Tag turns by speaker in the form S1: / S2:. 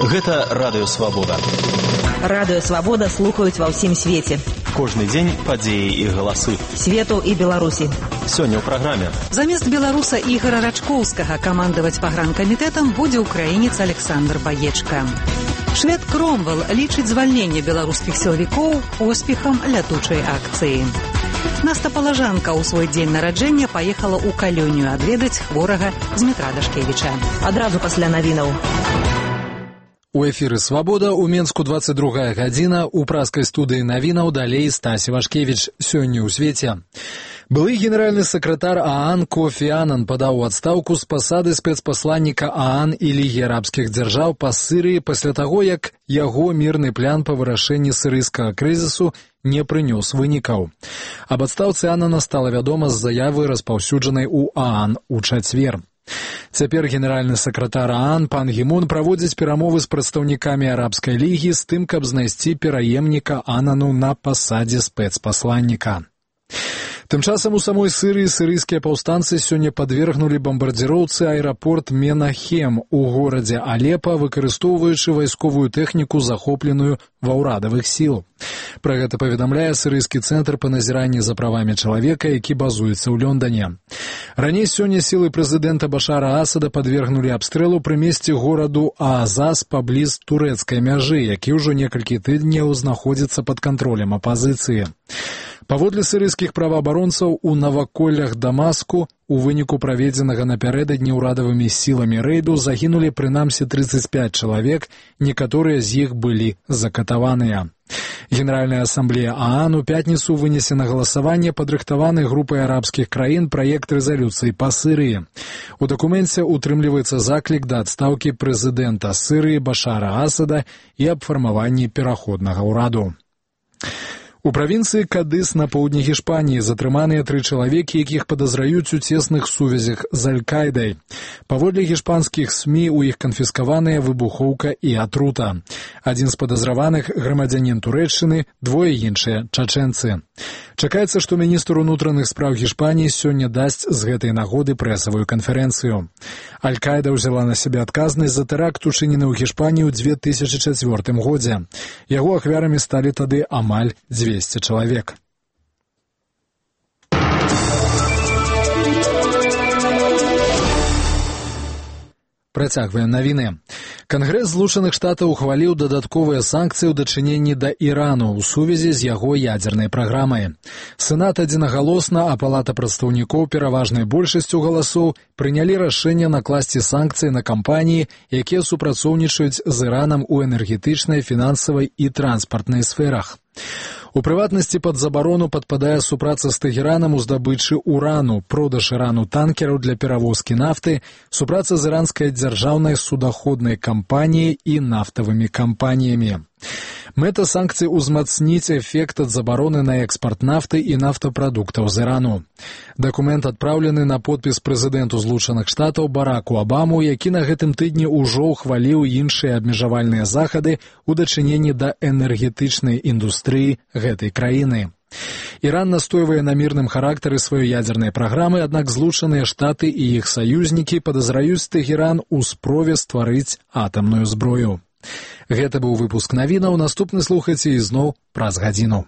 S1: Гэта Радыё Свабода.
S2: Радыё Свабода слухаюць ва ўсім свеце.
S1: Кожны дзень падзеі і галасы.
S2: Свету і Беларусі.
S1: Сёння ў праграме.
S3: Замест беларуса Ігора Рачкоўскага камандаваць пагранкамітэтам будзе ўкраінец Александр Баечка. Швед Кромвел лічыць звальненне беларускіх сілавікоў поспехам лятучай акцыі. Наста Палажанка ў свой дзень нараджэння паехала ў Калёнію адведаць хворага Змітра Дашкевіча.
S2: Адразу пасля навінаў.
S4: У эфіры «Свабода» у Менску 22 гадзіна, у праскай студыі навінаў далей Стась Івашкевіч. Сёння ў свеце. Былы генеральны сакратар ААН Кофі Анан падаў у адстаўку з пасады спецпасланніка ААН і Лігі арабскіх дзяржаў па Сірыі пасля таго, як яго мірны план па вырашэнні сірыйскага крызісу не прынёс вынікаў. Аб адстаўцы Анана стала вядома з заявы, распаўсюджанай у ААН у чацвер. Цяпер генеральны сакратар ААН Пан Гі Мун праводзіць перамовы з прадстаўнікамі арабскай лігі з тым, каб знайсці пераемніка Анану на пасадзе спецпасланніка. Тым часам у самой Сырыі сырыйскія паўстанцы сёння падвергнулі бамбардзіроўцы аэрапорт Менахем у горадзе Алепа, выкарыстоўваючы вайсковую тэхніку, захопленую ва ўрадавых сіл. Пра гэта паведамляе сырыйскі цэнтр па назіранні за правамі чалавека, які базуецца ў Лондане. Раней сёння сілы прэзідэнта Башара Асада падвергнулі абстрэлу пры месцы гораду Аазас пабліз турэцкай мяжы, які ўжо некалькі тыдняў знаходзіцца пад кантролем апазіцыі. Паводле сырыйскіх праваабаронцаў, у наваколлях Дамаску у выніку праведзенага напярэдадні ўрадавымі сіламі рэйду загінулі прынамсі 35 чалавек, некаторыя з іх былі закатаваныя. Генеральная асамблея ААН у пятніцу вынесе на галасаванне падрыхтаваны групай арабскіх краін праект рэзалюцыі па Сырыі. У дакуменце утрымліваецца заклік да адстаўкі прэзідэнта Сырыі Башара Асада і аб фармаванні пераходнага ўраду. У правінцыі Кадыс на поўдні Гішпаніі затрыманыя 3 чалавекі, якіх падазраюць у цесных сувязях з Аль-Кайдай. Паводле гішпанскіх СМІ у іх канфіскаваныя выбухоўка і атрута. Адзін з падазраваных грамадзянін Турэччыны, двое іншыя чачэнцы. Чакаецца, што міністр унутраных спраў Гішпаніі сёння дасць з гэтай нагоды прэсавую канферэнцыю. Аль-Кайда ўзяла на сябе адказнасць за тэракт, учынены ў Гішпаніі ў 2004 годзе. Яго ахвярамі сталі тады амаль 200 чалавек. Працягваем навіны. Кангрэс Злучаных Штатаў ухваліў дадатковыя санкцыі ў дачыненні да Ірану ў сувязі з яго ядзернай праграмай. Сенат адзінагалосна, а Палата прадстаўнікоў пераважнай большасцю галасоў прынялі рашэнне накласці санкцыі на кампаніі, якія супрацоўнічаюць з Іранам у энергетычнай, фінансавай і транспартнай сферах. У прыватнасці пад забарону падпадае супраца з Тэгеранам у здабычы урану, продаж Ірану танкераў для перавозкі нафты, супраца з іранскай дзяржаўнай судаходнай кампаніяй і нафтавымі кампаніямі. Мэта санкцый узмацніць эфект ад забароны на экспарт нафты і нафтапрадуктаў з Ірану. Дакумент адпраўлены на подпіс прэзідэнту Злучаных Штатаў Бараку Абаму, які на гэтым тыдні ўжо ўхваліў іншыя абмежавальныя захады ў дачыненні да энергетычнай індустрыі гэтай краіны. Іран настойвае на мірным характары сваёй ядзернай праграмы, аднак Злучаныя Штаты і іх саюзнікі падазраюць Тэгеран у спробе стварыць атамную зброю. Гэта быў выпуск навінаў, наступны слухайце ізноў праз гадзіну.